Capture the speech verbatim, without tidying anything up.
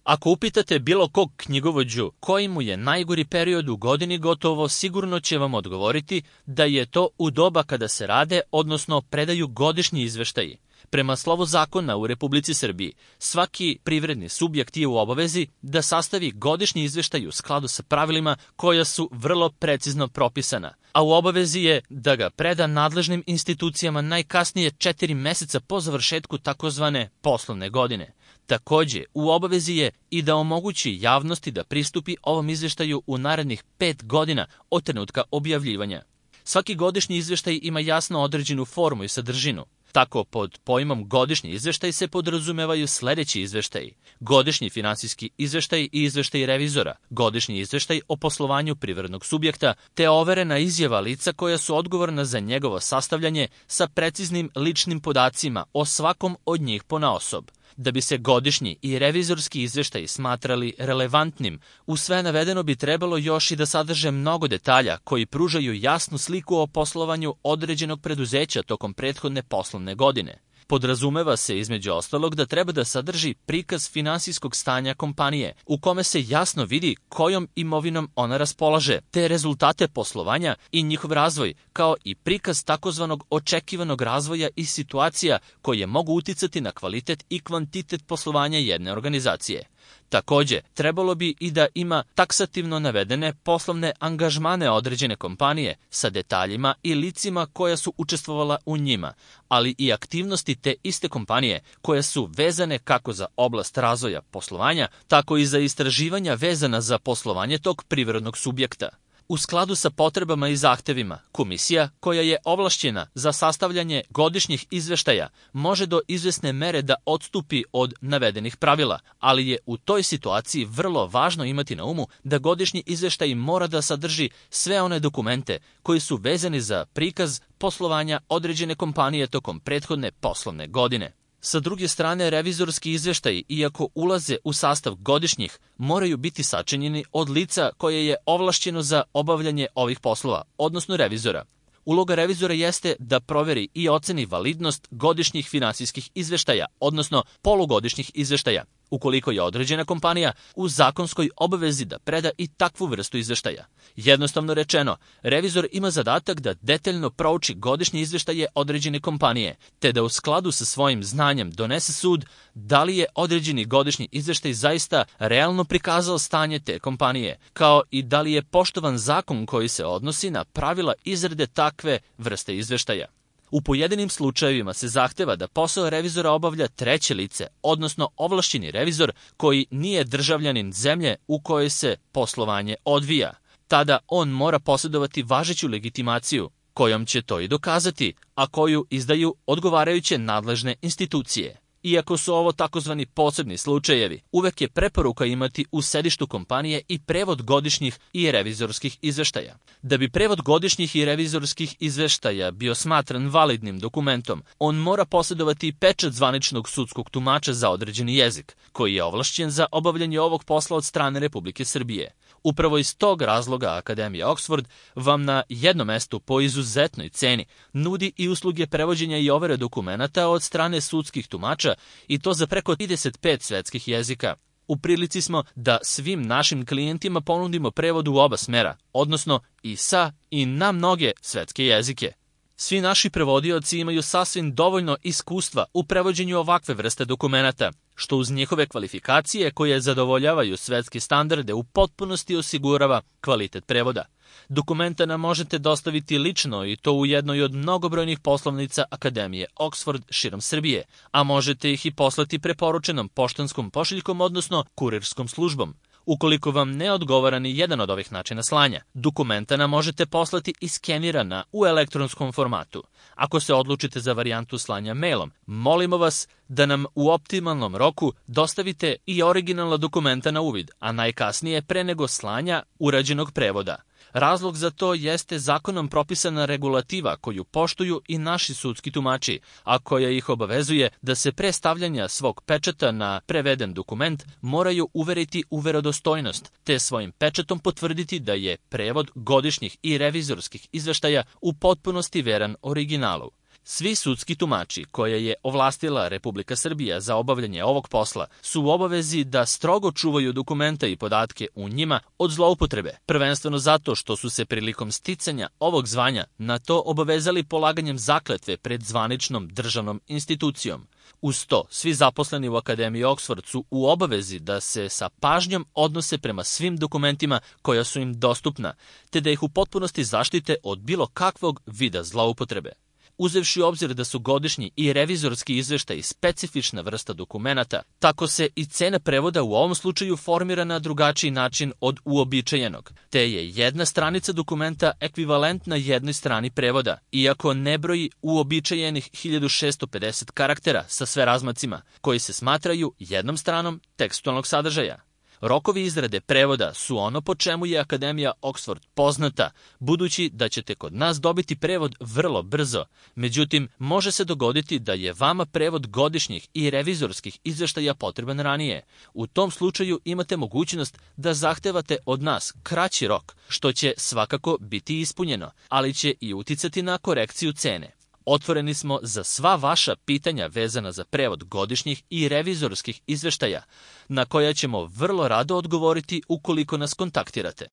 Ako upitate bilo kog knjigovođu koji mu je najgori period u godini, gotovo sigurno će vam odgovoriti da je to u doba kada se rade, odnosno predaju godišnji izveštaji. Prema slovu zakona u Republici Srbiji, svaki privredni subjekt je u obavezi da sastavi godišnji izveštaj u skladu sa pravilima koja su vrlo precizno propisana, a u obavezi je da ga preda nadležnim institucijama najkasnije četiri meseca po završetku takozvane poslovne godine. Takođe, u obavezi je i da omogući javnosti da pristupi ovom izveštaju u narednih pet godina od trenutka objavljivanja. Svaki godišnji izveštaj ima jasno određenu formu i sadržinu. Tako, pod pojmom godišnji izveštaj se podrazumevaju sledeći izveštaji: godišnji finansijski izveštaj i izveštaj revizora, godišnji izveštaj o poslovanju privrednog subjekta, te overena izjava lica koja su odgovorna za njegovo sastavljanje sa preciznim ličnim podacima o svakom od njih ponaosob. Da bi se godišnji i revizorski izveštaji smatrali relevantnim, u sve navedeno bi trebalo još i da sadrže mnogo detalja koji pružaju jasnu sliku o poslovanju određenog preduzeća tokom prethodne poslovne godine. Podrazumeva se između ostalog da treba da sadrži prikaz finansijskog stanja kompanije, u kome se jasno vidi kojom imovinom ona raspolaže, te rezultate poslovanja i njihov razvoj, kao i prikaz takozvanog očekivanog razvoja i situacija koje mogu uticati na kvalitet i kvantitet poslovanja jedne organizacije. Takođe, trebalo bi i da ima taksativno navedene poslovne angažmane određene kompanije sa detaljima i licima koja su učestvovala u njima, ali i aktivnosti te iste kompanije koje su vezane kako za oblast razvoja poslovanja, tako i za istraživanja vezana za poslovanje tog privrednog subjekta. U skladu sa potrebama i zahtevima, komisija koja je ovlašćena za sastavljanje godišnjih izveštaja može do izvesne mere da odstupi od navedenih pravila, ali je u toj situaciji vrlo važno imati na umu da godišnji izveštaj mora da sadrži sve one dokumente koji su vezani za prikaz poslovanja određene kompanije tokom prethodne poslovne godine. Sa druge strane, revizorski izveštaji, iako ulaze u sastav godišnjih, moraju biti sačinjeni od lica koje je ovlašćeno za obavljanje ovih poslova, odnosno revizora. Uloga revizora jeste da proveri i oceni validnost godišnjih finansijskih izveštaja, odnosno polugodišnjih izveštaja, ukoliko je određena kompanija u zakonskoj obavezi da preda i takvu vrstu izveštaja. Jednostavno rečeno, revizor ima zadatak da detaljno prouči godišnje izveštaje određene kompanije, te da u skladu sa svojim znanjem donese sud da li je određeni godišnji izveštaj zaista realno prikazao stanje te kompanije, kao i da li je poštovan zakon koji se odnosi na pravila izrade takve vrste izveštaja. U pojedinim slučajevima se zahteva da posao revizora obavlja treće lice, odnosno ovlašćeni revizor koji nije državljanin zemlje u kojoj se poslovanje odvija. Tada on mora posjedovati važeću legitimaciju, kojom će to i dokazati, a koju izdaju odgovarajuće nadležne institucije. Iako su ovo takozvani posebni slučajevi, uvek je preporuka imati u sedištu kompanije i prevod godišnjih i revizorskih izveštaja. Da bi prevod godišnjih i revizorskih izveštaja bio smatran validnim dokumentom, on mora posjedovati pečat zvaničnog sudskog tumača za određeni jezik, koji je ovlašćen za obavljanje ovog posla od strane Republike Srbije. Upravo iz tog razloga Akademija Oxford vam na jednom mestu po izuzetnoj ceni nudi i usluge prevođenja i overe dokumenata od strane sudskih tumača, i to za preko trideset pet svetskih jezika. U prilici smo da svim našim klijentima ponudimo prevod u oba smera, odnosno i sa i na mnoge svetske jezike. Svi naši prevodioci imaju sasvim dovoljno iskustva u prevođenju ovakve vrste dokumenata, što uz njihove kvalifikacije koje zadovoljavaju svetske standarde u potpunosti osigurava kvalitet prevoda. Dokumenta nam možete dostaviti lično i to u jednoj od mnogobrojnih poslovnica Akademije Oxford širom Srbije, a možete ih i poslati preporučenom poštanskom pošiljkom, odnosno kurirskom službom. Ukoliko vam ne odgovara ni jedan od ovih načina slanja, dokumenta nam možete poslati i skenirana u elektronskom formatu. Ako se odlučite za varijantu slanja mailom, molimo vas da nam u optimalnom roku dostavite i originalna dokumenta na uvid, a najkasnije pre nego slanja urađenog prevoda. Razlog za to jeste zakonom propisana regulativa koju poštuju i naši sudski tumači, a koja ih obavezuje da se pre stavljanja svog pečata na preveden dokument moraju uveriti u verodostojnost, te svojim pečatom potvrditi da je prevod godišnjih i revizorskih izveštaja u potpunosti veran originalu. Svi sudski tumači koje je ovlastila Republika Srbija za obavljanje ovog posla su u obavezi da strogo čuvaju dokumenta i podatke u njima od zloupotrebe, prvenstveno zato što su se prilikom sticanja ovog zvanja na to obavezali polaganjem zakletve pred zvaničnom državnom institucijom. Uz to, svi zaposleni u Akademiji Oksford su u obavezi da se sa pažnjom odnose prema svim dokumentima koja su im dostupna, te da ih u potpunosti zaštite od bilo kakvog vida zloupotrebe. Uzevši u obzir da su godišnji i revizorski izveštaji specifična vrsta dokumenata, tako se i cena prevoda u ovom slučaju formira na drugačiji način od uobičajenog, te je jedna stranica dokumenta ekvivalentna jednoj strani prevoda, iako ne broji uobičajenih hiljadu šessto pedeset karaktera sa sve razmacima, koji se smatraju jednom stranom tekstualnog sadržaja. Rokovi izrade prevoda su ono po čemu je Akademija Oksford poznata, budući da ćete kod nas dobiti prevod vrlo brzo. Međutim, može se dogoditi da je vama prevod godišnjih i revizorskih izveštaja potreban ranije. U tom slučaju imate mogućnost da zahtevate od nas kraći rok, što će svakako biti ispunjeno, ali će i uticati na korekciju cene. Otvoreni smo za sva vaša pitanja vezana za prevod godišnjih i revizorskih izveštaja, na koja ćemo vrlo rado odgovoriti ukoliko nas kontaktirate.